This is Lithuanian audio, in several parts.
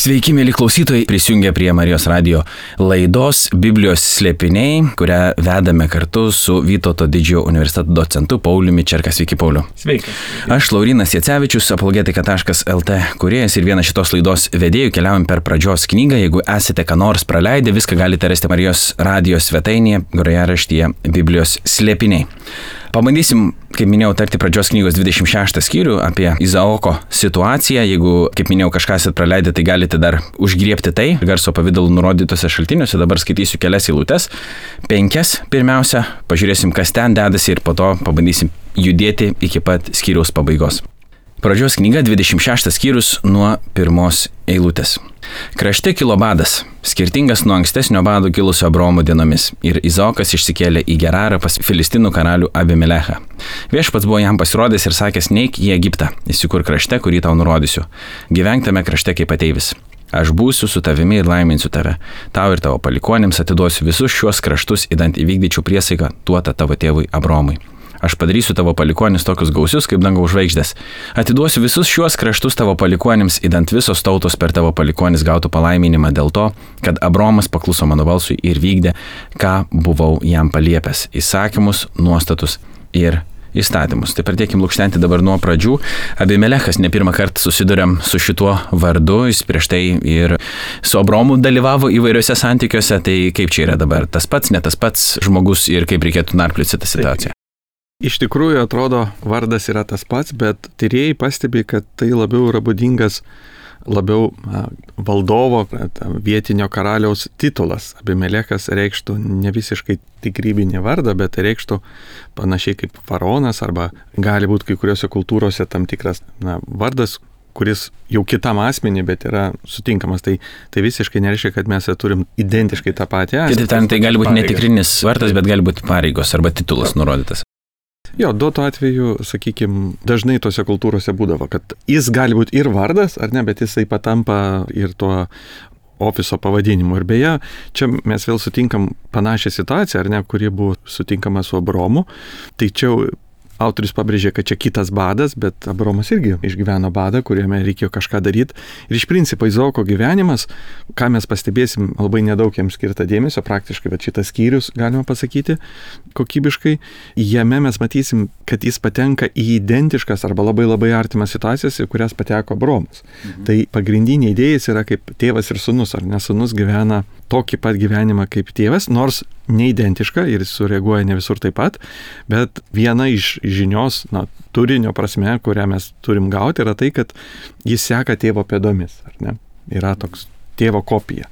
Sveiki, mėly klausytojai, prisijungę prie Marijos radijo laidos Biblijos slėpiniai, kurią vedame kartu su Vytauto didžiojo universiteto docentu Pauliumi Čerka. Sveiki, Pauliu. Sveiki. Aš Laurynas Jacevičius, apologetika.lt kūrėjas ir vienas šitos laidos vedėjų. Keliaujam per pradžios knygą. Jeigu esate ką nors praleidę, viską galite rasti Marijos radijo svetainėje, grojaraštyje Biblijos slėpiniai. Pabandysim, kaip minėjau, tarti pradžios knygos 26 skyrių apie Izaoko situaciją. Jeigu, kaip minėjau, kažką esate praleidę, tai galite dar užgriebti tai garso pavidalu nurodytose šaltiniuose. Dabar skaitysiu kelias eilutes. 5 pirmiausia, pažiūrėsim, kas ten dedasi ir po to pabandysim judėti iki pat skyriaus pabaigos. Pradžios knyga 26 skyrius nuo 1 eilutės. Krašte kilo badas, skirtingas nuo ankstesnio bado kilusio Abraomo dienomis, ir Izaokas išsikėlė į Gerarą pas Filistinų karalių Abimelechą. Viešpats buvo jam pasirodęs ir sakęs: neik į Egiptą, įsikur krašte, kurį tau nurodysiu. Gyvenk tame krašte kaip ateivis. Aš būsiu su tavimi ir laiminsiu tave. Tau ir tavo palikuonėms atiduosiu visus šiuos kraštus, idant įvykdyčiau priesaiką duotą tavo tėvui Abraomui. Aš padarysiu tavo palikuonis tokius gausius kaip dangaus žvaigždės. Atiduosiu visus šiuos kraštus tavo palikuonėms, idant visos tautos per tavo palikuonis gautų palaiminimą dėl to, kad Abraomas pakluso mano balsui ir vykdė, ką buvau jam paliepęs: įsakymus, nuostatus ir įstatymus. Tai pradėkim lukštenti dabar nuo pradžių. Abimelechas ne pirmą kartą susiduriam su šituo vardu, jis prieš tai ir su Abraomu dalyvavo įvairiuose santykiuose. Tai kaip čia yra dabar? Tas pats, ne tas pats žmogus ir kaip reikėtų narplioti tą situaciją? Iš tikrųjų atrodo, vardas yra tas pats, bet tyrėjai pastebi, kad tai labiau yra būdingas valdovo, vietinio karaliaus titulas. Abimelechas reikštų ne visiškai tikrybinį vardą, bet tai reikštų panašiai kaip faraonas, arba gali būti kai kuriuose kultūrose tam tikras vardas, kuris jau kitam asmenį, bet yra sutinkamas. Tai visiškai nereiškia, kad mes turim identiškai tą patį asmenį. Kitaip tariant, tai gali būti netikrinis vardas, bet gali būti pareigos arba titulas nurodytas. Jo, duotu atveju, sakykime, dažnai tose kultūrose būdavo, kad jis gali būti ir vardas, ar ne, bet jisai patampa ir tuo ofiso pavadinimu. Ir beje, čia mes vėl sutinkam panašią situaciją, ar ne, kuri buvo sutinkama su Abraomu. Tai čia autorius pabrėžė, kad čia kitas badas, bet Abraomas irgi išgyveno badą, kuriame reikėjo kažką daryti. Ir iš principo Izaoko gyvenimas, ką mes pastebėsim, labai nedaug jam skirta dėmesio, praktiškai, bet šitas skyrius, galima pasakyti, kokybiškai, jame mes matysim, kad jis patenka į identiškas arba labai artimas situacijas, į kurias pateko Abraomas. Tai pagrindinė idėja yra kaip tėvas ir sūnus, ar ne? Sūnus gyvena tokį pat gyvenimą kaip tėvas, nors neidentiška ir jis sureaguoja ne visur taip pat, bet viena iš žinios, turinio prasme, kurią mes turim gauti, yra tai, kad jis seka tėvo pėdomis, ar ne? Yra toks tėvo kopija.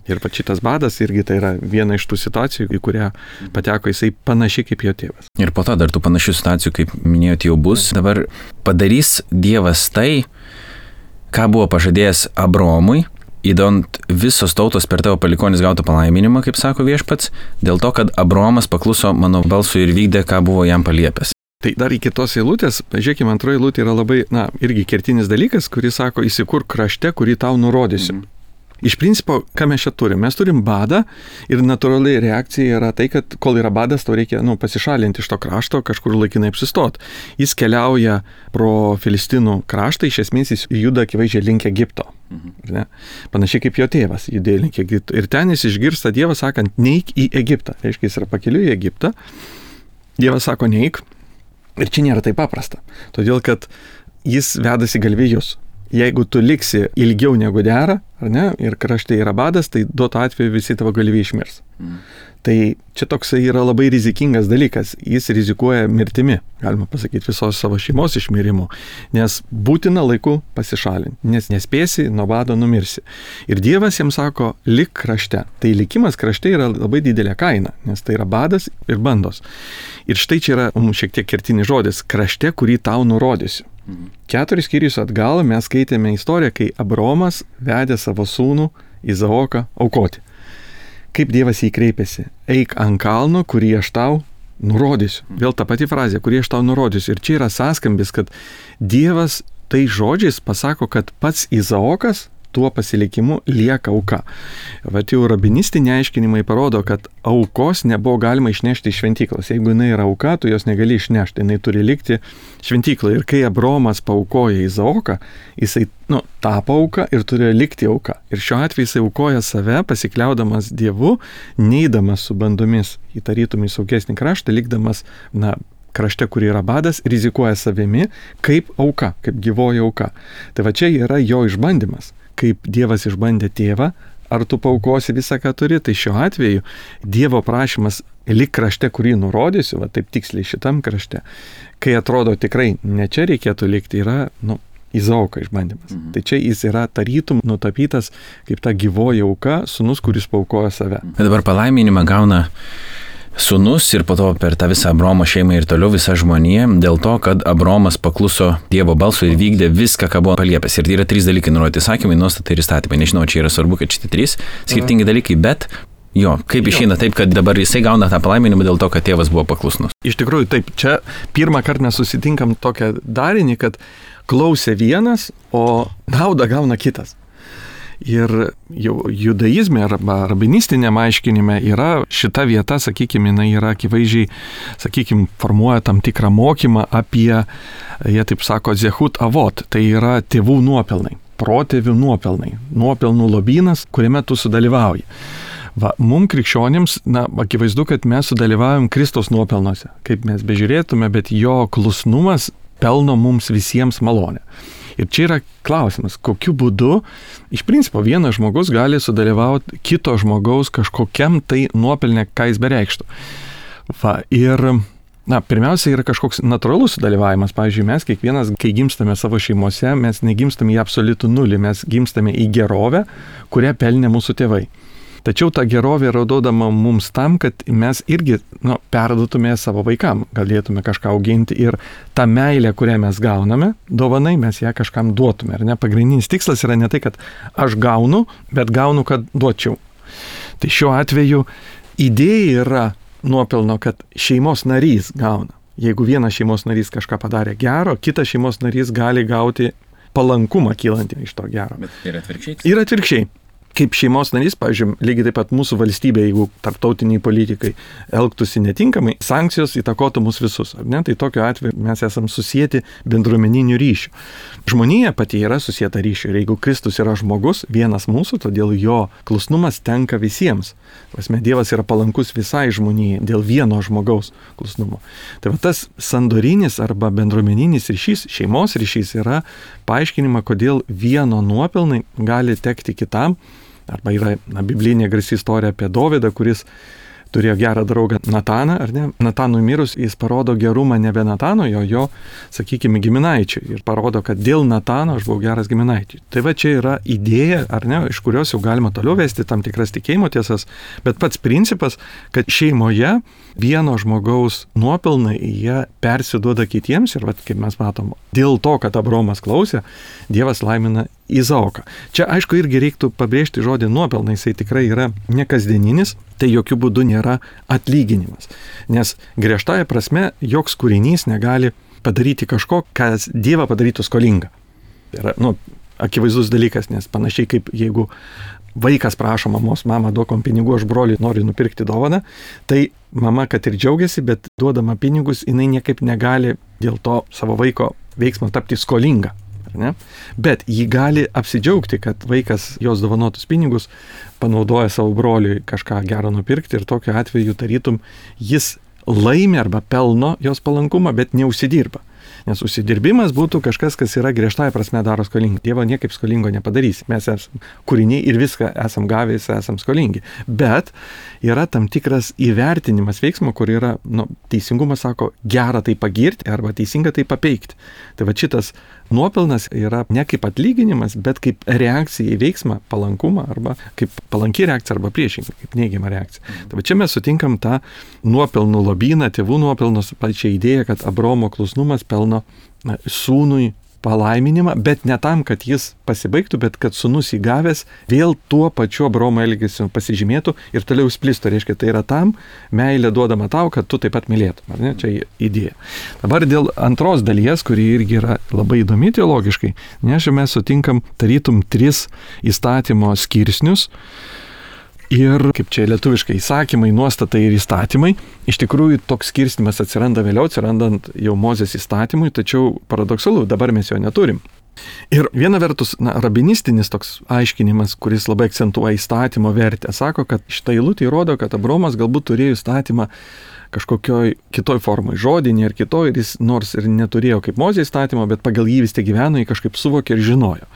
Ir pat šitas badas irgi tai yra viena iš tų situacijų, į kurią pateko jisai panašiai kaip jo tėvas. Ir po to dar tų panašių situacijų, kaip minėjote, jau bus. Dabar padarys Dievas tai, ką buvo pažadėjęs Abraomui, įdant visos tautos per tavo palikuonis gautų palaiminimą, kaip sako Viešpats, dėl to, kad Abraomas pakluso mano balsui ir vykdė, ką buvo jam paliepęs. Tai dar iki tos eilutės, pažiūrėkime, antroji eilutė yra labai, irgi kertinis dalykas, kuris sako: įsikur krašte, kurį tau nurodysiu. Iš principo, ką mes čia turim? Mes turim badą ir natūraliai reakcija yra tai, kad kol yra badas, tau reikia pasišalinti iš to krašto, kažkur laikinai apsistot. Jis keliauja pro Filistinų kraštą, iš esmės jis juda akivaizdžiai link Egipto. Ne? Panašiai kaip jo tėvas judėjo link Egipto. Ir ten jis išgirsta Dievą sakant: neik į Egiptą. Reiškia, jis yra pakeliui į Egiptą. Dievas sako: neik. Ir čia nėra taip paprasta. Todėl, kad jis vedasi galvijus. Jeigu tu liksi ilgiau negu dera, ar ne, ir krašte yra badas, tai duotu atveju visi tavo galvijai išmirs. Tai čia toksai yra labai rizikingas dalykas. Jis rizikuoja mirtimi, galima pasakyti, visos savo šeimos išmirimu, nes būtina laiku pasišalinti, nes nespėsi, nuo bado numirsi. Ir Dievas jiems sako: lik krašte. Tai likimas krašte yra labai didelė kaina, nes tai yra badas ir bandos. Ir štai čia yra šiek tiek kertinis žodis: krašte, kurį tau nurodysiu. 4 skyrius atgal mes skaitėme istoriją, kai Abraomas vedė savo sūnų Izaoką aukoti. Kaip Dievas jį kreipėsi: eik ant kalno, kurį aš tau nurodysiu. Vėl ta pati frazė: kurį aš tau nurodysiu. Ir čia yra sąskambis, kad Dievas tai žodžiais pasako, kad pats Izaokas tuo pasilikimu lieka auka. Vat jau rabinistiniai aiškinimai parodo, kad aukos nebuvo galima išnešti iš šventyklos. Jeigu jinai yra auka, tu jos negali išnešti, jinai turi likti šventykloje. Ir kai Abraomas paaukoja Izaoką, jisai tapo auka ir turėjo likti auka. Ir šiuo atveju jisai aukoja save, pasikliaudamas Dievu, neidamas su bandomis į tarytum į saugesnį kraštą, likdamas, krašte, kur yra badas, rizikuoja savimi kaip auka, kaip gyvoji auka. Tai va čia yra jo išbandymas. Kaip Dievas išbandė tėvą, ar tu paukosi visą, ką turi, tai šiuo atveju Dievo prašymas lik krašte, kurį nurodysiu, va taip tiksliai šitam krašte, kai atrodo tikrai ne čia reikėtų likti, yra, Izaoką išbandymas. Tai čia jis yra tarytum nutapytas kaip ta gyvoji auka, sūnus, kuris paukoja save. Bet dabar palaiminimą gauna sūnus ir po to per tą visą Abraomo šeimą ir toliau visa žmonija, dėl to, kad Abraomas pakluso Dievo balsui ir vykdė viską, ką buvo paliepęs. Ir tai yra 3 dalykai nurodyti: įsakymai, nuostatai ir įstatymai. Nežinau, čia yra svarbu, kad šitie 3 skirtingi dalykai, bet kaip išeina taip, kad dabar jisai gauna tą palaiminimą dėl to, kad tėvas buvo paklusnus. Iš tikrųjų, taip, čia pirmą kartą mes susitinkam tokią darinį, kad klausė vienas, o naudą gauna kitas. Ir jau judaizme arba rabinistiniam aiškinime yra šita vieta, sakykime, jinai yra akivaizdžiai, formuoja tam tikrą mokymą apie, jie taip sako, zehut avot, tai yra tėvų nuopelnai, protėvių nuopelnai, nuopelnų lobynas, kuriame tu sudalyvauji. Mums krikščionims, akivaizdu, kad mes sudalyvaujam Kristaus nuopelnuose, kaip mes bežiūrėtume, bet jo klusnumas pelno mums visiems malonę. Ir čia yra klausimas, kokiu būdu iš principo vienas žmogus gali sudalyvauti kito žmogaus kažkokiam tai nuopelne, ką jis bereikštų. Ir pirmiausia yra kažkoks natūralus sudalyvavimas. Pavyzdžiui, mes kiekvienas, kai gimstame savo šeimose, mes negimstame į absoliutų nulį, mes gimstame į gerovę, kurią pelnė mūsų tėvai. Tačiau ta gerovė yra duodama mums tam, kad mes irgi perduotume savo vaikam, galėtume kažką auginti ir tą meilę, kurią mes gauname, dovanai, mes ją kažkam duotume. Ar ne? Pagrindinis tikslas yra ne tai, kad aš gaunu, bet gaunu, kad duočiau. Tai šiuo atveju idėja yra nuopelno, kad šeimos narys gauna. Jeigu vienas šeimos narys kažką padarė gero, kitas šeimos narys gali gauti palankumą kylantį iš to gero. Bet ir atvirkščiai? Ir atvirkščiai. Kaip šeimos narys, pavyzdžiui, lygiai taip pat mūsų valstybė, jeigu tarptautiniai politikai elgtųsi netinkamai, sankcijos įtakotų mus visus, ar ne? Tai tokiu atveju mes esam susijęti bendruomeninių ryšių. Žmonija pati yra susijęta ryšių ir jeigu Kristus yra žmogus, vienas mūsų, todėl jo klusnumas tenka visiems. Dievas yra palankus visai žmonijai dėl vieno žmogaus klusnumo. Tai tas sandorinis arba bendruomeninis ryšys, šeimos ryšys yra paaiškinima, kodėl vieno nuopelnai gali tekti kitam. Arba yra biblinė garsi istorija apie Dovydą, kuris turėjo gerą draugą Nataną, ar ne? Natanui mirus jis parodo gerumą nebe Natano, jo, sakykime, giminaičiui. Ir parodo, kad dėl Natano aš buvau geras giminaičiui. Tai va čia yra idėja, ar ne, iš kurios jau galima toliau vesti tam tikras tikėjimo tiesas, bet pats principas, kad šeimoje vieno žmogaus nuopelnai jie persiduoda kitiems ir, kaip mes matom, dėl to, kad Abraomas klausė, Dievas laimina Izaoką. Čia, aišku, irgi reiktų pabrėžti žodį nuopelnai, jisai tikrai yra nekasdieninis, tai jokių būdų nėra atlyginimas. Nes griežtąja prasme joks kūrinys negali padaryti kažko, kas Dievą padarytų skolingą. Tai yra, akivaizdus dalykas, nes panašiai kaip jeigu vaikas prašo mamos, mama, duok man pinigų, aš broliui noriu nupirkti dovaną, tai mama, kad ir džiaugiasi, bet duodama pinigus, jinai niekaip negali dėl to savo vaiko veiksmo tapti skolinga. Ne? Bet jį gali apsidžiaugti, kad vaikas jos dovanotus pinigus panaudoja savo broliui kažką gero nupirkti ir tokiu atveju tarytum jis laimi arba pelno jos palankumą, bet neužsidirba. Nes užsidirbimas būtų kažkas, kas yra griežtąja prasme daro skolingi. Dievo niekaip skolingo nepadarys. Mes esame kūriniai ir viską esam gavęs, esam skolingi. Bet yra tam tikras įvertinimas veiksmo, kur yra, teisingumas sako, gera tai pagirti arba teisinga tai papeikti. Tai va šitas nuopelnas yra ne kaip atlyginimas, bet kaip reakcija į veiksmą, palankumą arba kaip palanki reakcija arba priešingai, kaip neigiama reakcija. Tai va čia mes sutinkam tą nuopelnų lobyną, tėvų nuopelnus, pačią idėją, kad Abraomo klusnumas pelno sūnui palaiminimą, bet ne tam, kad jis pasibaigtų, bet kad sūnus įgavęs vėl tuo pačiu Abraomo elgesiu pasižymėtų ir toliau splistų. Reiškia, tai yra tam meilė duodama tau, kad tu taip pat mylėtum. Ar ne? Čia idėja. Dabar dėl antros dalies, kuri irgi yra labai įdomi teologiškai, nes mes sutinkam tarytum 3 įstatymo skirsnius. Ir, kaip čia lietuviškai, įsakymai, nuostatai ir įstatymai, iš tikrųjų toks skirstymas atsiranda vėliau, atsirandant jau Mozės įstatymui, tačiau paradoksalu, dabar mes jo neturim. Ir viena vertus, rabinistinis toks aiškinimas, kuris labai akcentuoja įstatymo vertę, sako, kad šitą eilutę įrodo, kad Abraomas galbūt turėjo įstatymą kažkokioj kitoj formai, žodinė ir kitoj, ir jis nors ir neturėjo kaip Mozė įstatymo, bet pagal jį vis tiek gyveno, jį kažkaip suvokė ir žinojo.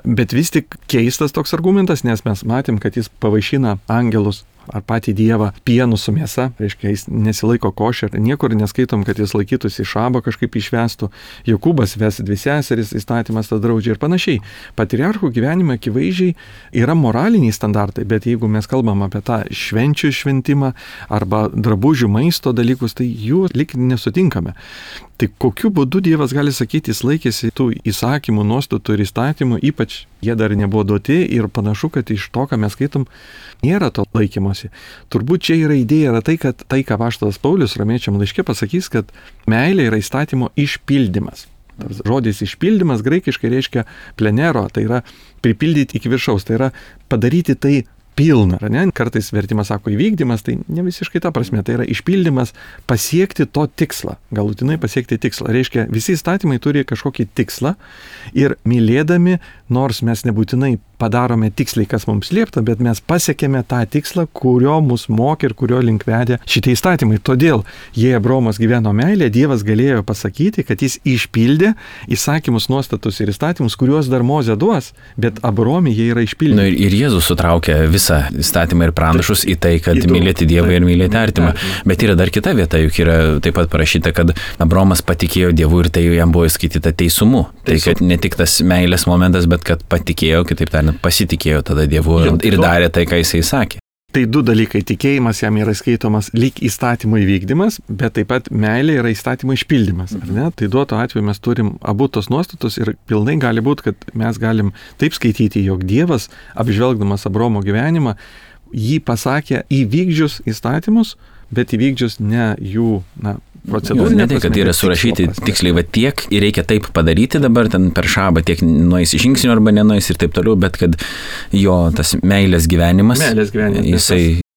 Bet vis tik keistas toks argumentas, nes mes matėm, kad jis pavaišina angelus ar patį Dievą pienu su mėsa, reiškia, jis nesilaiko košer, niekur neskaitom, kad jis laikytųsi šabo kažkaip išvestų, Jokūbas ves 2 seseris, įstatymas tą draudžia ir panašiai. Patriarchų gyvenime akivaizdžiai yra moraliniai standartai, bet jeigu mes kalbam apie tą švenčių šventimą arba drabužių maisto dalykus, tai jų lik nesutinkame. Tai kokiu būdu Dievas gali sakyti, jis laikėsi tų įsakymų, nuostatų ir įstatymų, ypač jie dar nebuvo duoti ir panašu, kad iš to, ką mes skaitom, nėra to laikymosi. Turbūt čia yra idėja, yra tai, kad tai, ką apaštalas Paulius Romiečiam laiške pasakys, kad meilė yra įstatymo išpildymas. Žodis išpildymas graikiškai reiškia plenero, tai yra pripildyti iki viršaus, tai yra padaryti tai pilna. Kartais vertimas sako įvykdymas, tai ne visiškai ta prasme, tai yra išpildymas pasiekti to tikslą, galutinai pasiekti tikslą. Reiškia, visi įstatymai turi kažkokį tikslą ir mylėdami, nors mes nebūtinai padarome tiksliai, kas mums liepta, bet mes pasiekėme tą tikslą, kurio mus mokė ir kurio link vedė šitie įstatymai. Todėl, jei Abraomas gyveno meilė, Dievas galėjo pasakyti, kad jis išpildė įsakymus, nuostatus ir įstatymus, kuriuos dar Mozė duos, bet Abraomui jie yra išpildyti. Ir Jėzus sutraukė visą įstatymą ir pranašus į tai, kad mylėti Dievą ir mylėti artimą. Bet yra dar kita vieta, juk yra taip pat parašyta, kad Abraomas patikėjo Dievu ir tai jam buvo įskaityta teisumu. Tai kad ne tik tas meilės momentas, bet kad patikėjo, kitaip tariant, pasitikėjo tada Dievu ir darė tai, ką jisai sakė. Tai 2 dalykai. Tikėjimas jam yra skaitomas lyg įstatymo įvykdymas, bet taip pat meilė yra įstatymo išpildymas. Ar ne? Tai duoto atveju mes turim abu tos nuostatus ir pilnai gali būti, kad mes galim taip skaityti, jog Dievas, apžvelgdamas Abraomo gyvenimą, jį pasakė įvykdžius įstatymus, bet įvykdžius ne jų procedūrų. Ne tai, kad yra surašyti tiksliai va tiek ir reikia taip padaryti dabar ten per šabą, tiek nueis žingsnių arba nenueis ir taip toliau, bet kad jo tas meilės gyvenimas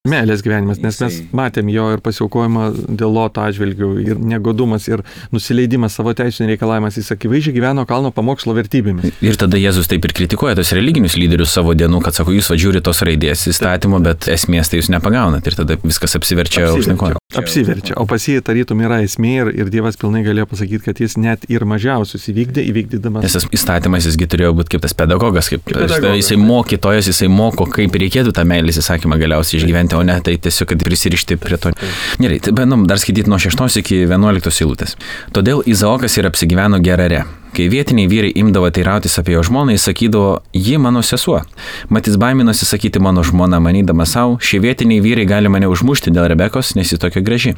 Meilės gyvenimas, nes mes matėm jo ir pasiaukojimą dėl Loto atžvilgių ir negodumas ir nusileidimas savo teisinių reikalavimas, jis akivaizdžiai gyveno kalno pamokslo vertybėmis. Ir tada Jėzus taip ir kritikuoja tos religinius lyderius savo dienų, kad sako, jūs žiūrite tos raidės įstatymo, bet esmės tai jūs nepagaunat ir tada viskas apsiverčia aukštyn kojom. Apsiverčia, o pas jį tarytum yra esmė ir Dievas pilnai galėjo pasakyti, kad jis net ir mažiausius įvykdydamas. Nes tas įstatymas jisgi turėjo būti kaip tas pedagogas, jisai mokytojas, jisai moko, kaip reikėtų tą meilės įsakymą galiausiai išgyventi, o ne tai tiesiog, kad prisirišti prie to. Gerai, tai bandom dar skaityti nuo 6 iki 11 eilutės. Todėl Izaokas ir apsigyveno Gerare. Kai vietiniai vyrai imdavo teirautis apie jo žmoną, jis sakydavo, ji mano sesuo. Mat jis baiminosi sakyti mano žmona, manydama savo, šie vietiniai vyrai gali mane užmušti dėl Rebekos, nes ji tokia graži.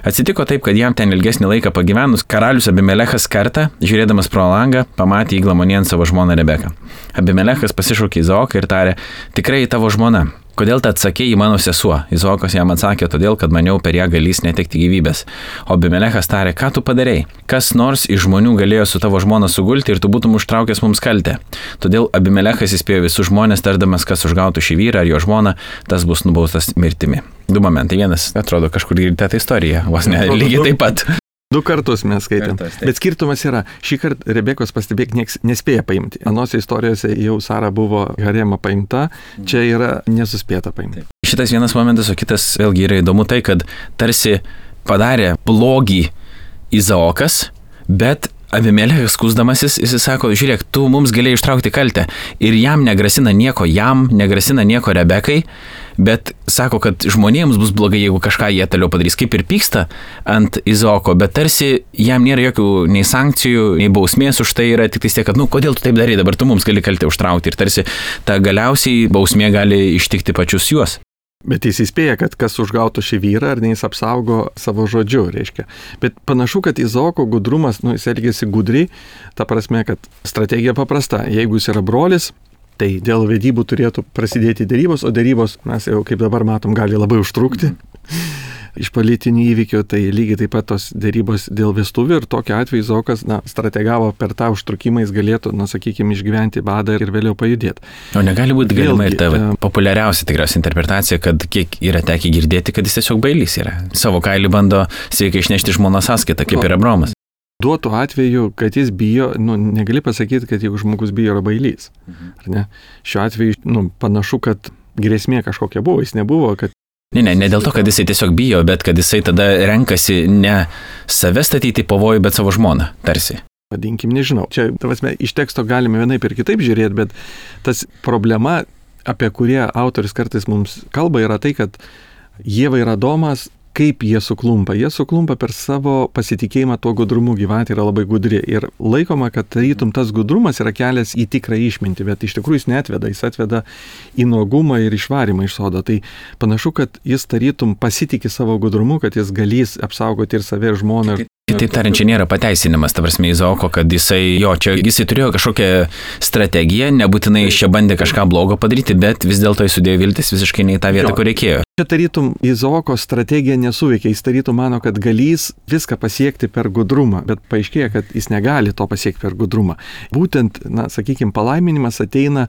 Atsitiko taip, kad jam ten ilgesnį laiką pagyvenus, karalius Abimelechas kartą, žiūrėdamas pro langą, pamatė įglamonėjant savo žmoną Rebeką. Abimelechas pasišaukė Izaoką ir tarė, tikrai tavo žmona. Kodėl tu atsakei į mano sesuo? Izaokas jam atsakė, todėl, kad maniau per ją galys netekti gyvybės. O Abimelechas tarė, ką tu padarei? Kas nors iš žmonių galėjo su tavo žmona sugulti ir tu būtum užtraukęs mums kaltę. Todėl Abimelechas įspėjo visus žmonės, tardamas, kas užgautų šį vyrą ar jo žmoną, tas bus nubaustas mirtimi. 2 momentai. Vienas, atrodo, kažkur girdite tą istoriją, vos ne, lygiai taip pat. 2 kartus mes skaitėm. Bet skirtumas yra, šį kartą Rebekos pastebėk nieks nespėja paimti. Anose istorijose jau Sara buvo harema paimta, čia yra nesuspėta paimti. Šitas vienas momentas, o kitas vėlgi yra įdomu tai, kad tarsi padarė blogį Izaokas, bet Abimelechas skųsdamasis, jis sako, žiūrėk, tu mums galėjai ištraukti kaltę ir jam negrasina nieko Rebekai, bet sako, kad žmonėms bus blogai, jeigu kažką jie toliau padarys, kaip ir pyksta ant Izaoko, bet tarsi jam nėra jokių nei sankcijų, nei bausmės už tai, yra tik tiek, kad, kodėl tu taip darai, dabar tu mums gali kaltę užtraukti ir tarsi ta galiausiai bausmė gali ištikti pačius juos. Bet jis įspėja, kad kas užgautų šį vyrą, ar ne jis apsaugo savo žodžiu, reiškia. Bet panašu, kad Izaoko gudrumas, jis elgėsi gudriai, ta prasme, kad strategija paprasta. Jeigu jis yra brolis, tai dėl vedybų turėtų prasidėti dėrybos, o dėrybos, mes jau kaip dabar matom, gali labai užtrukti. Iš politinių įvykių, tai lygiai taip pat tos dėrybos dėl vestuvių ir tokiu atveju Izaokas, strategavo per tą užtrukimą, jis galėtų, sakykime, išgyventi badą ir vėliau pajudėti. O negali būti galima ir ta populiariausia tikriausia interpretacija, kad kiek yra tekę girdėti, kad jis tiesiog bailys yra. Savo kailį bando sveikai išnešti žmonos sąskaitą, kaip ir Abraomas. Duotų atveju, kad jis bijo, negali pasakyti, kad jeigu žmogus bijo, yra bailys. Ar ne? Šiuo atveju, panašu, kad grėsmė kažkokia buvo, jis nebuvo, kad Ne dėl to, kad jisai tiesiog bijo, bet kad jisai tada renkasi ne save statyti pavojų, bet savo žmoną, tarsi. Vadinkim, nežinau. Čia, iš teksto galime vienaip ir kitaip žiūrėti, bet tas problema, apie kurią autoris kartais mums kalba, yra tai, kad Ieva ir Adomas, kaip jie suklumpa. Jie suklumpa per savo pasitikėjimą tuo gudrumu, gyvatė yra labai gudri. Ir laikoma, kad tarytum tas gudrumas yra kelias į tikrą išmintį, bet iš tikrųjų jis neatveda, jis atveda į nuogumą ir išvarimą iš sodo. Tai panašu, kad jis tarytum pasitikė savo gudrumu, kad jis galės apsaugoti ir save, ir žmoną. Kitaip tariant, čia nėra pateisinimas, ta prasme, Izaoko, kad jisai turėjo kažkokią strategiją, nebūtinai jis čia bandė kažką blogo padaryti, bet vis dėlto jis sudėjo viltis visiškai ne į tą vietą, kur reikėjo. Čia tarytum Izaoko strategija nesuveikia, jis tarytum mano, kad galės viską pasiekti per gudrumą, bet paaiškėja, kad jis negali to pasiekti per gudrumą. Būtent, sakykime, palaiminimas ateina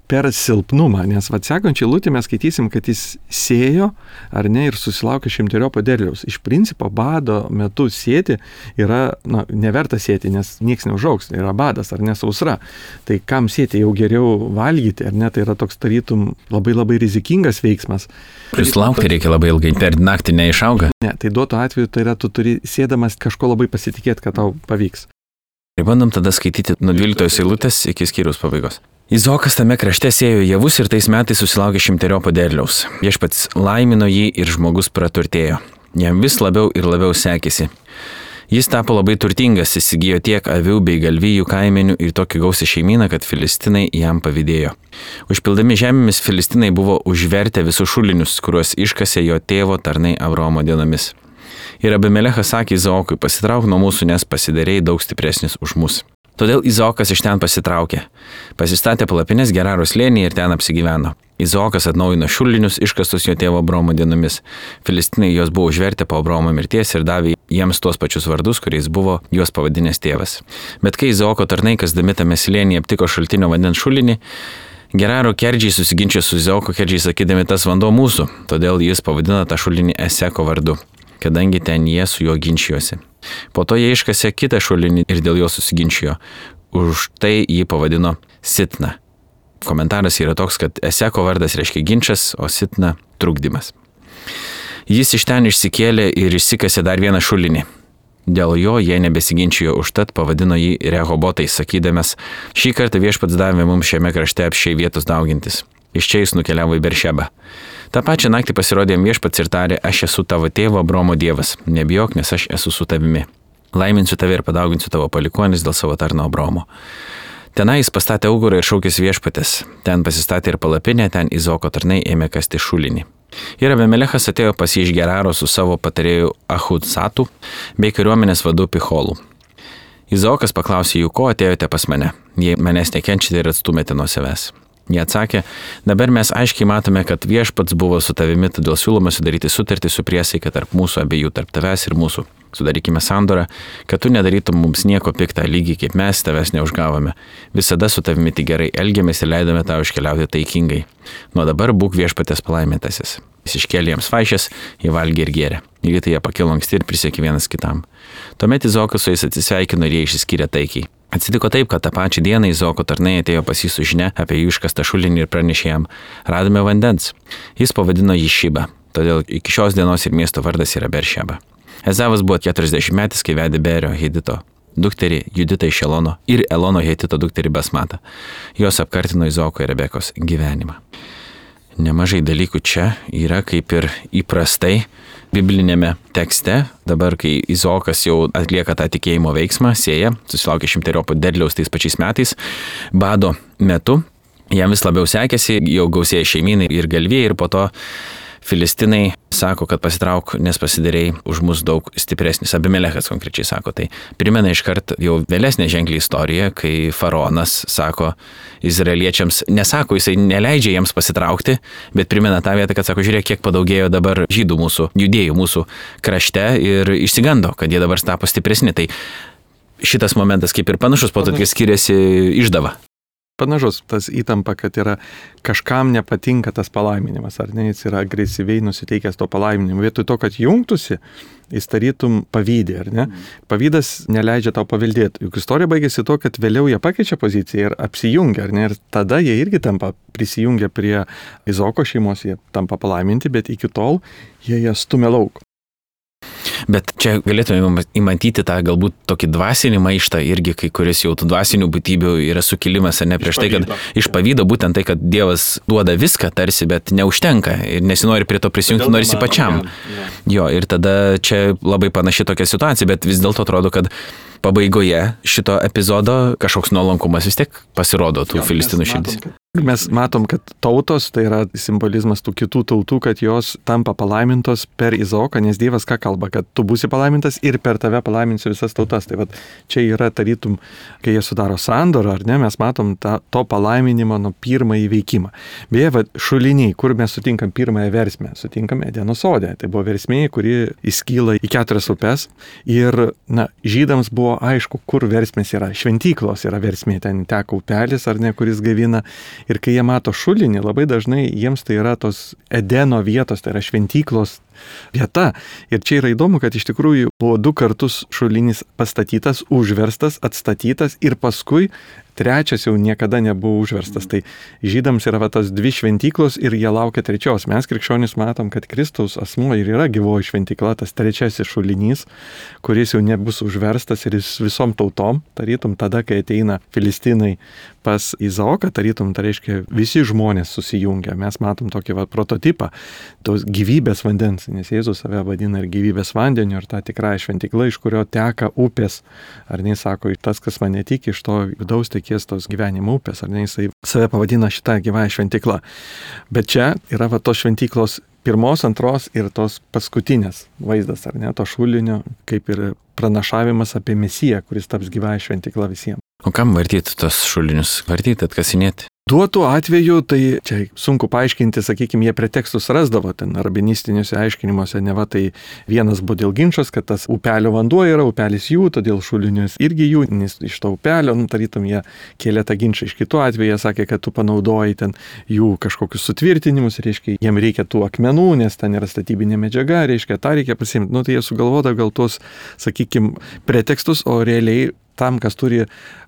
per silpnumą, nes sekančiai lūtį mes skaitysim, kad jis sėjo, ar ne, ir susilaukė 100 derliaus. Iš principo bado metu sėti yra, neverta sėti, nes nieks neužaugs, yra badas, ar ne, sausra. Tai kam sėti, jau geriau valgyti, ar ne, tai yra toks tarytum labai labai rizikingas veiksmas. Plius laukti reikia labai ilgai, per naktį neišauga. Ne, tai duotų atveju, tai yra, tu turi sėdamas kažko labai pasitikėti, kad tau pavyks. Ir bandom tada skaityti nuo 12 eilutės iki skyriaus pabaigos. Izaokas tame krašte sėjo javus ir tais metais susilaukė 100 derliaus. Viešpats laimino jį ir žmogus praturtėjo. Jam vis labiau ir labiau sekėsi. Jis tapo labai turtingas, įsigijo tiek avių bei galvijų kaimenių ir tokį gausią šeimyną, kad filistinai jam pavydėjo. Užpildami žemėmis filistinai buvo užvertę visus šulinius, kuriuos iškasė jo tėvo tarnai Abraomo dienomis. Ir Abimelechas sakė Izaokui, pasitrauk nuo mūsų, nes pasidarėjai daug stipresnis už mus. Todėl Izaokas iš ten pasitraukė. Pasistatė palapines Geraro slėnyje ir ten apsigyveno. Izaokas atnaujino šulinius iškastus jo tėvo Abraomo dienomis. Filistinai juos buvo užvertę po Abraomo mirties ir davė jiems tuos pačius vardus, kuriais buvo juos pavadinęs tėvas. Bet kai Izaoko tarnai kasdami tame slėnyje aptiko šaltinio vandens šulinį, Geraro kerdžiai susiginčė su Izaoko kerdžiai sakydami, tas vanduo mūsų, todėl jis pavadino tą šulinį Eseko vardu, kadangi ten jie su juo ginčijosi. Po to jie iškasė kitą šulinį ir dėl jo susiginčijo. Už tai jį pavadino Sitna. Komentaras yra toks, kad Eseko vardas reiškia ginčas, o Sitna trukdymas. Jis iš ten išsikėlė ir išsikasė dar vieną šulinį. Dėl jo jie nebesiginčijo, užtat pavadino jį Rehobotais, sakydamas, šį kartą viešpats davė mums šiame krašte apsčiai vietos daugintis. Iš čia jis nukeliavo į Beršebą. Ta pačią naktį pasirodė jam viešpats ir tarė, aš esu tavo tėvo Abraomo dievas, nebijok, nes aš esu su tavimi. Laiminsiu tave ir padauginsiu tavo palikuonis dėl savo tarno Abraomo. Tenai jis pastatė augurą ir šaukėsi viešpatės. Ten pasistatė ir palapinę, ten Izaoko tarnai ėmė kasti šulinį. Ir Abimelechas atėjo pas jį iš Geraro su savo patarėju Ahudsatu bei kariuomenės vadu Picholu. Izaokas paklausė jų, ko atėjote pas mane, jei manęs nekenčiate ir atstumėte nuo savęs. Jie atsakė, dabar mes aiškiai matome, kad viešpats buvo su tavimi, todėl siūlome sudaryti sutartį su priesaika tarp mūsų abiejų, tarp tavęs ir mūsų. Sudarykime sandorą, kad tu nedarytum mums nieko piktą, lygiai kaip mes tavęs neužgavome. Visada su tavimi tik gerai elgiamės ir leidome tau iškeliauti taikingai. Nuo dabar būk viešpatės palaimintasis. Jis iškėlė jiems vaišes, jie valgė ir gėrė. Lygiai tai jie pakilo anksti ir prisiekė vienas kitam. Tuomet Izaokas su jais atsisveikino ir jie išsiskyrė taikiai. Atsitiko taip, kad tą pačią dieną Izaoko tarnai atėjo pas jį su žinia apie jų iškastą šulinį ir pranešė jam, radome vandens. Jis pavadino jį Šibą, todėl iki šios dienos ir miesto vardas yra Beršeba. Ezavas buvo 40 metais, kai vedė Berio Hedito dukterį Juditą iš Elono ir Elono Hetito dukterį Basmatą. Jos apkartino Izaoko ir Rebekos gyvenimą. Nemažai dalykų čia yra kaip ir įprastai biblinėme tekste. Dabar, kai Izaokas jau atlieka tą tikėjimo veiksmą, sėja, susilaukė 100 derliaus tais pačiais metais, bado metu, jam vis labiau sekėsi, jau gausėja šeimynai ir galvijai ir po to Filistinai sako, kad pasitrauk, nes pasidarėjai už mus daug stipresnis. Abimelechas konkrečiai sako. Tai primena iškart jau vėlesnė ženkli istorija, kai faraonas sako izraeliečiams, nesako, jisai neleidžia jiems pasitraukti, bet primena tą vietą, kad sako, žiūrėk, kiek padaugėjo dabar žydų mūsų, judėjų mūsų krašte ir išsigando, kad jie dabar tapo stipresni. Tai šitas momentas kaip ir panašus, po to kai skiriasi išdava. Panašus tas įtampa, kad yra kažkam nepatinka tas palaiminimas, ar ne, jis yra agresyviai nusiteikęs to palaiminimu. Vietoj to, kad jungtųsi, jis tarytum pavydė, ar ne? Pavydas neleidžia tau paveldėti. Juk istorija baigėsi to, kad vėliau jie pakeičia poziciją ir apsijungia, ar ne? Ir tada jie irgi tampa prisijungia prie Izaoko šeimos, jie tampa palaiminti, bet iki tol jie stumia lauk. Bet čia galėtume įmatyti tą galbūt tokį dvasinį maištą irgi, kai kuris jau tų dvasinių būtybių yra sukilimas, ar ne, prieš tai, kad iš pavydo būtent tai, kad Dievas duoda viską tarsi, bet neužtenka ir nesinori prie to prisijungti, norisi pačiam. Jo, ir tada čia labai panaši tokia situacija, bet vis dėlto atrodo, kad pabaigoje šito epizodo kažkoks nuolankumas vis tiek pasirodo tų filistinų širdis. Mes matom, kad tautos, tai yra simbolizmas tų kitų tautų, kad jos tampa palaimintos per Izaoką, nes Dievas ką kalba, kad tu būsi palaimintas ir per tave palaiminsiu visas tautas. Tai vat, čia yra tarytum, kai jie sudaro sandorą, ar ne, mes matom to palaiminimo nuo pirmąjį veikimą. Beje, vat, šuliniai, kur mes sutinkam pirmąją versmę, sutinkame Edeno sode. Tai buvo versmė, kuri įskyla į 4 upes ir žydams buvo aišku, kur versmės yra. Šventyklos yra versmė, ten teka upelis, ar ne, kuris gaivina. Ir kai jie mato šulinį, labai dažnai jiems tai yra tos Edeno vietos, tai yra šventyklos vieta. Ir čia yra įdomu, kad iš tikrųjų buvo 2 kartus šulinis pastatytas, užverstas, atstatytas ir paskui 3 jau niekada nebuvo užverstas. Tai žydams yra tas 2 šventyklos ir jie laukia 3. Mes krikščionys matom, kad Kristaus asmuo ir yra gyvoji šventykla, tas 3 šulinys, kuris jau nebus užverstas ir jis visom tautom, tarytum tada, kai ateina Filistinai pas Izaoką, tarytum, tai reiškia visi žmonės susijungia. Mes matom tokį prototipą tos gyvybės vandens, nes Jėzus save vadina ir gyvybės vandeniu, ir ta tikrąja šventykla, iš kurio teka upės. Ar ne, sako, tas, kas mane tiki, iš to vidaus tekės tos gyvenimo upės, ar ne, jisai save pavadina šitą gyvąją šventyklą. Bet čia yra tos šventyklos 1, 2 ir tos paskutinės vaizdas, ar ne, to šulinio, kaip ir pranašavimas apie Mesiją, kuris taps gyvąją šventykla visiems. O kam vartyti tos šulinius? Vartyti, atkasinėti? Duotų atveju, tai čia sunku paaiškinti, sakykime, jie pretekstus rasdavo ten rabinistiniuose aiškinimuose, ne va, tai vienas buvo dėl ginčos, kad tas upelio vanduo yra, upelis jų, todėl šulinius irgi jų, nes iš to upelio, tarytum, jie kėlė tą ginčą. Iš kitų atveju jie sakė, kad tu panaudoji ten jų kažkokius sutvirtinimus, reiškia, jiem reikia tų akmenų, nes ten yra statybinė medžiaga, reiškia, tą reikia pasiimti. Tai jie sugalvoda gal tos, sakykime, pretekstus, o realiai tam, kas turi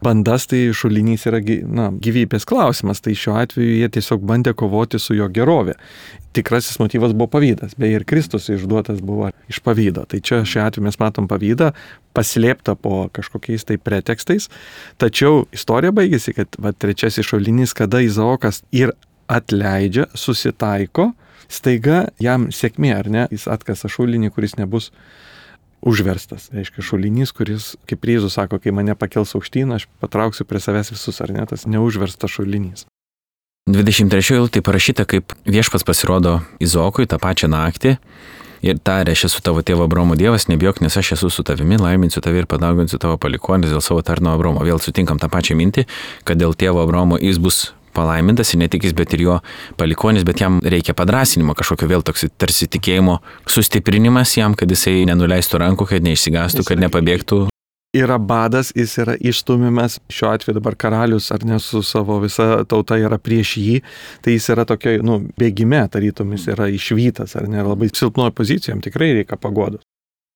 bandas, tai šulinys yra gyvybės klausimas, tai šiuo atveju jie tiesiog bandė kovoti su jo gerovė. Tikrasis motyvas buvo pavydas, beje ir Kristus išduotas buvo iš pavydo. Tai čia šiuo atveju mes matom pavydą, paslėptą po kažkokiais tai pretekstais, tačiau istorija baigėsi, kad 3 šulinys, kada Izaokas ir atleidžia, susitaiko, staiga jam sėkmė, ar ne, jis atkasa šulinį, kuris nebus užverstas. Reiškia šulinys, kuris, kaip Jėzus sako, kai mane pakels aukštyn, aš patrauksiu prie savęs visus, ar ne, tas neužverstas šulinys. 23 eilutė parašyta, kaip viešpats pasirodo Izaokui tą pačią naktį ir tarė, aš esu tavo tėvo Abraomo Dievas, nebijok, nes aš esu su tavimi, laiminsiu tave ir padauginsiu tavo palikuonis dėl savo tarno Abraomo. Vėl sutinkam tą pačią mintį, kad dėl tėvo Abraomo jis bus palaimintas ir ne tik jis, bet ir jo palikonis, bet jam reikia padrasinimo, kažkokio vėl toks tarsi tikėjimo sustiprinimas jam, kad jisai nenuleistų rankų, kad neišsigąstų, kad nepabėgtų. Yra badas, jis yra išstumimas, šiuo atveju dabar karalius ar ne su savo visa tauta yra prieš jį, tai jis yra tokio, bėgime, tarytum jis yra išvytas, ar ne, labai silpnoje pozicijoje, jam tikrai reikia paguodos.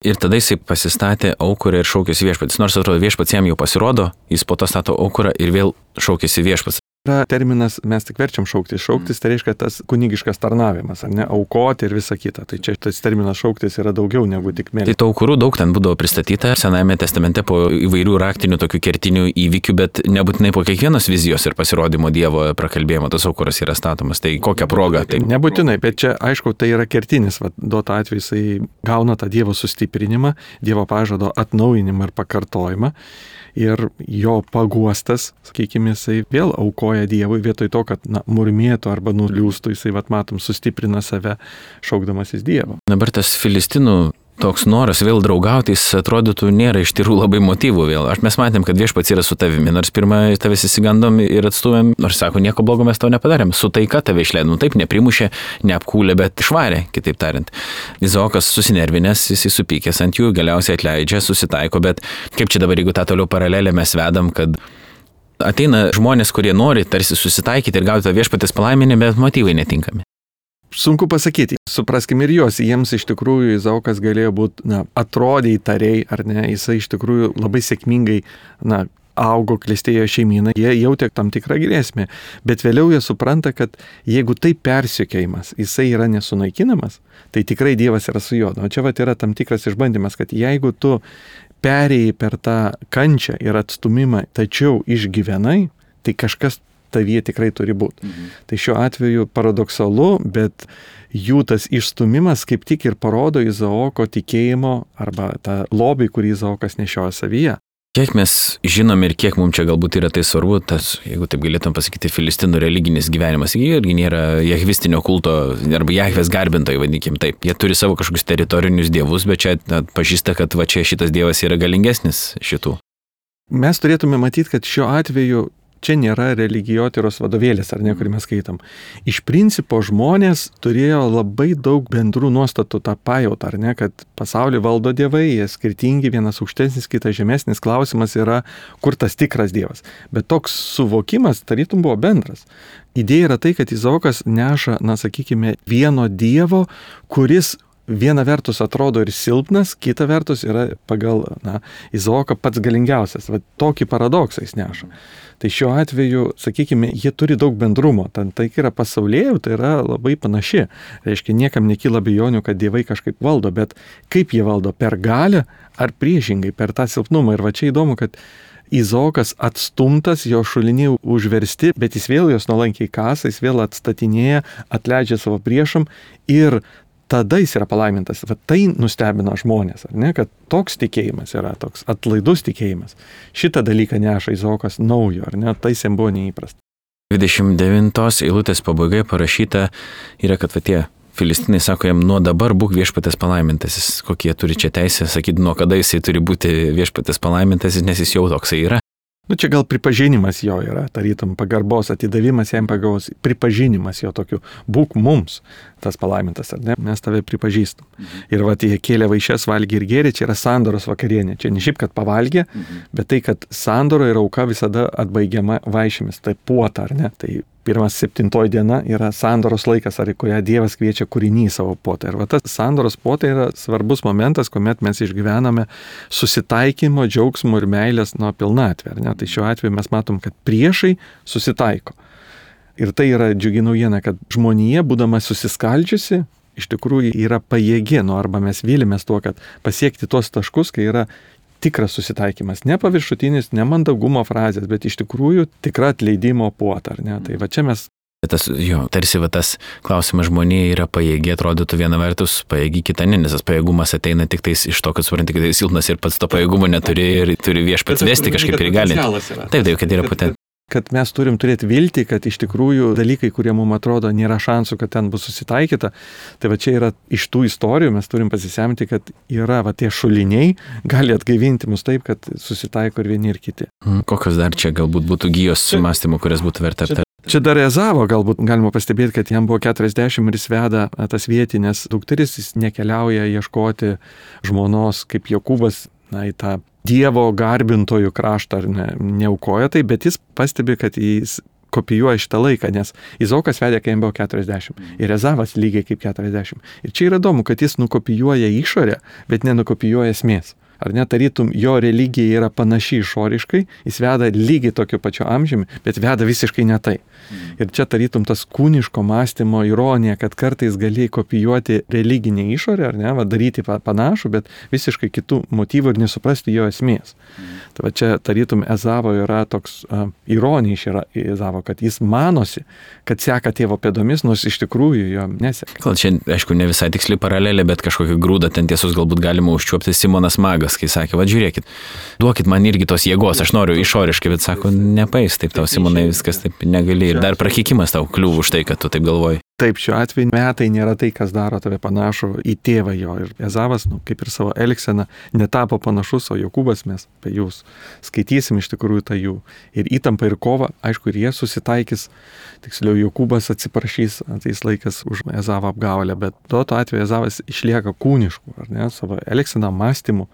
Ir tada jisai pasistatė aukurą ir šaukėsi viešpats. Nors atrodo viešpats jam jau pasirodo, jis po to stato aukurą ir vėl šaukėsi viešpats. Yra terminas, mes tik verčiam šauktis. Šauktis tai reiškia tas kunigiškas tarnavimas, ar ne, aukoti ir visa kita. Tai čia tas terminas šauktis yra daugiau negu tik melsti. Tai tų aukurų daug ten būdavo pristatyta Senajame testamente po įvairių raktinių tokių kertinių įvykių, bet nebūtinai po kiekvienos vizijos ir pasirodymo Dievo prakalbėjimo tas aukuras yra statomas. Tai kokią progą? Tai... Nebūtinai, bet čia aišku, tai yra kertinis. Duota atveju jisai gauna tą Dievo sustiprinimą, Dievo pažado atnaujinimą ir pakartojimą. Ir jo paguostas, sakykime, jisai vėl aukoja dėkoja Dievui vietoj to, kad murmėtų arba nuliūstų, jisai, matom, sustiprina save, šaukdamasis Dievo. Dabar tas filistinų toks noras vėl draugauti, jis atrodytų nėra iš tikrųjų labai motyvų vėl. Mes matėm, kad Viešpats yra su tavimi, nors pirmą tavęs įsigandom ir atstūmėm, nors sako, nieko blogo mes tau nepadarėm. Su taika tave išleidom, taip, neprimušė, neapkūlė, bet išvarė, kitaip tariant. Izaokas susinervinęs, jis supykęs ant jų, galiausiai atleidžia, susitaiko, bet kaip čia dabar, jeigu tą toliau paralelę mes vedam, kad ateina žmonės, kurie nori tarsi susitaikyti ir gauti tą Viešpatės palaiminimą, bet motyvai netinkami. Sunku pasakyti, supraskim ir juos, jiems iš tikrųjų Izaokas galėjo būti, atrodė įtariai, ar ne, jisai iš tikrųjų labai sėkmingai, augo, klestėjo šeimyną, jie jautė tam tikrą grėsmę, bet vėliau jie supranta, kad jeigu tai persekiojimas, jisai yra nesunaikinamas, tai tikrai Dievas yra su juo. O čia yra tam tikras išbandymas, kad jeigu tu perėjai per tą kančią ir atstumimą, tačiau išgyvenai, tai kažkas tavyje tikrai turi būti. Tai šiuo atveju paradoksalu, bet jų tas išstumimas kaip tik ir parodo Izaoko tikėjimo arba tą lobį, kurį Izaokas nešioja savyje. Kiek mes žinom ir kiek mums čia galbūt yra tai svarbu, tas, jeigu taip galėtum pasakyti, filistinų religinis gyvenimas, jie irgi nėra jahvistinio kulto arba jahvės garbintojai, vadinkim taip. Jie turi savo kažkokius teritorinius dievus, bet čia pažįsta, kad čia šitas dievas yra galingesnis šitų. Mes turėtume matyti, kad šiuo atveju čia nėra religijotyros vadovėlis, ar ne, kurį mes skaitom. Iš principo žmonės turėjo labai daug bendrų nuostatų tą pajautą, ar ne, kad pasaulį valdo dievai, jie skirtingi, vienas aukštesnis, kitas žemesnis, klausimas yra, kur tas tikras dievas. Bet toks suvokimas tarytum buvo bendras. Idėja yra tai, kad Izaokas neša, sakykime, vieno dievo, kuris viena vertus atrodo ir silpnas, kita vertus yra pagal Izaoką pats galingiausias. Tokį paradoksą jis neša. Tai šiuo atveju, sakykime, jie turi daug bendrumo. Tai yra pasaulėjų, tai yra labai panaši. Reiškia, niekam nekyla abejonių, kad dievai kažkaip valdo, bet kaip jie valdo? Per galią ar priešingai, per tą silpnumą? Ir čia įdomu, kad Izaokas atstumtas, jo šuliniai užversti, bet jis vėl jos nuolankiai kasa, jis vėl atstatinėja, atleidžia savo priešam ir tada jis yra palaimintas. Tai nustebino žmonės, ar ne, kad toks tikėjimas yra, toks atlaidus tikėjimas. Šitą dalyką neša Izaokas naujo, ar ne, tai jam buvo neįprasta. 29 eilutės pabaigai parašyta yra, kad tie filistinai sako jam, nuo dabar būk Viešpatės palaimintasis. Kokie turi čia teisę sakyti, nuo kada jisai turi būti Viešpatės palaimintasis, nes jis jau toksai yra. Čia gal pripažinimas jo yra, tarytum pagarbos atidavimas jam pagarbos, pripažinimas jo tokiu, būk mums tas palaimintas, ar ne, mes tave pripažįstam. Ir jie kėlė vaišes, valgė ir gėrė, čia yra sandoros vakarienė, čia ne šiaip, kad pavalgė, bet tai, kad sandoro ir auka visada atbaigiama vaišėmis, tai puota, ar ne, tai 1-7 diena yra sandoros laikas, ar kurią Dievas kviečia kūrinį į savo puotą. Ir tas sandoros puota yra svarbus momentas, kuomet mes išgyvename susitaikymo, džiaugsmo ir meilės pilnatvę. Tai šiuo atveju mes matom, kad priešai susitaiko. Ir tai yra džiugi naujiena, kad žmonija, būdama susiskaldžiusi, iš tikrųjų yra pajėgi, arba mes vylimės tuo, kad pasiekti tuos taškus, kai yra tikras susitaikymas, ne paviršutinis, ne mandagumo frazės, bet iš tikrųjų tikra atleidimo puota, ar ne? Tai čia mes... Tarsi tas klausimas žmonėje yra pajėgi, atrodytų viena vertus pajėgi, kita ne, nes tas pajėgumas ateina tik tais iš to, kad supranti, kad tai silpnas ir pats to pajėgumo neturi ir turi Viešpats vesti kažkaip ir gali. Taip, kad yra potencialas. Kad mes turim turėti viltį, kad iš tikrųjų dalykai, kurie mums atrodo nėra šansų, kad ten bus susitaikyta, tai čia yra iš tų istorijų, mes turim pasisemti, kad yra tie šuliniai, gali atgaivinti mus taip, kad susitaiko ir vieni ir kiti. Kokios dar čia galbūt būtų gijos mąstymų, kurias būtų verta aptarti? Čia dar Ezavo galbūt galima pastebėti, kad jam buvo 40 ir jis veda tas vietinės dukteris, jis nekeliauja ieškoti žmonos kaip Jokūbas į tą Dievo garbintojų kraštą ar neaukoja tai, bet jis pastebi, kad jis kopijuoja šitą laiką, nes Izaokas vedė, kai jam buvo 40 ir Ezavas lygiai kaip 40. Ir čia yra įdomu, kad jis nukopijuoja išorę, bet nenukopijuoja esmės. Ar ne, tarytum, jo religija yra panaši išoriškai, jis veda lygiai tokiu pačiu amžiumi, bet veda visiškai ne tai. Ir čia tarytum tas kūniško mąstymo ironija, kad kartais gali kopijuoti religinę išorę, ar ne, daryti panašų, bet visiškai kitų motyvų ir nesuprasti jo esmės. Tai čia tarytum Ezavo yra toks ironija iš Ezavo, kad jis manosi, kad seka tėvo pėdomis, nors iš tikrųjų jo neseka. Gal čia, aišku, ne visai tiksli paralelė, bet kažkokį grūdą ten tiesos galbūt galima užčiuopti Simonas Magas. Ezekias, kai sakė, va žiūrėkit, duokit man irgi tos jėgos, aš noriu išoriškai, bet sako, nepais, taip tau Simonai viskas taip negali. Ir dar prakekimas tau kliūva už tai, kad tu taip galvoji. Taip, šiuo atveju metai nėra tai, kas daro tave panašų į tėvą jo. Ir Ezavas, kaip ir savo elgseną, netapo panašus, o Jokūbas mes apie jūs skaitysim iš tikrųjų tą jų. Ir įtampa ir kova, aišku, ir jie susitaikys, tiksliau Jokūbas atsiprašys ateis laikas už Ezavo apgaulę, bet tuo atveju Ezavas išlieka kūnišku, ar ne, savo elgseną, mąstymu.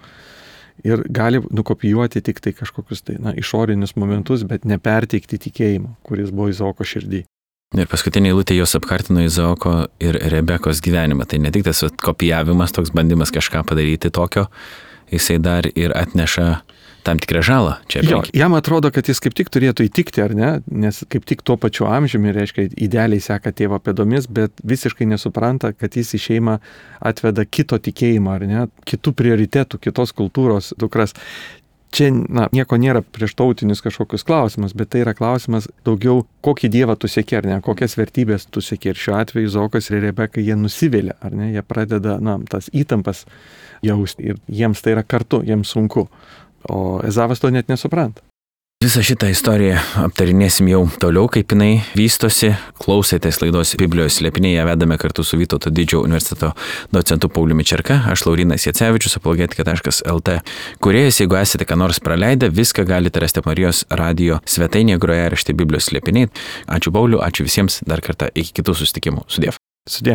Ir gali nukopijuoti tik tai kažkokius tai, išorinius momentus, bet neperteikti tikėjimo, kuris buvo Izaoko širdį. Ir paskutinė eilutė jos apkartino Izaoko ir Rebekos gyvenimą. Tai ne tik tas kopijavimas, toks bandymas kažką padaryti tokio, jisai dar ir atneša tam tikrą žalą. Jo, jam atrodo, kad jis kaip tik turėtų įtikti, ar ne? Nes kaip tik tuo pačiu amžiumi, reiškia, idealiai seka tėvo pėdomis, bet visiškai nesupranta, kad jis į šeimą atveda kito tikėjimo, ar ne? Kitų prioritetų, kitos kultūros dukras. Čia, nieko nėra prieš tautinius kažkokius klausimus, bet tai yra klausimas daugiau, kokį dievą tu seki, ar ne, kokias vertybės tu seki. Ir šiuo atveju Izaokas ir Rebeka, jie nusivėlė, ar ne, jie pradeda, tas įtampas jausti ir jiems tai yra kartu, jiems sunku, o Ezavas to net nesupranta. Visą šitą istoriją aptarinėsim jau toliau, kaip jinai vystosi. Klausėtės laidos Biblijos slėpiniai, ją vedame kartu su Vytauto Didžiojo universiteto docentu Pauliumi Čerka, aš Laurynas Jacevičius, apologetika.lt kūrėjas. Jeigu esate ką nors praleidę, viską galite rasti Marijos radijo svetainėje, grojaraštyje Biblijos slėpiniai. Ačiū Pauliu, ačiū visiems dar kartą, iki kitų susitikimų. Sudiev. Sudie.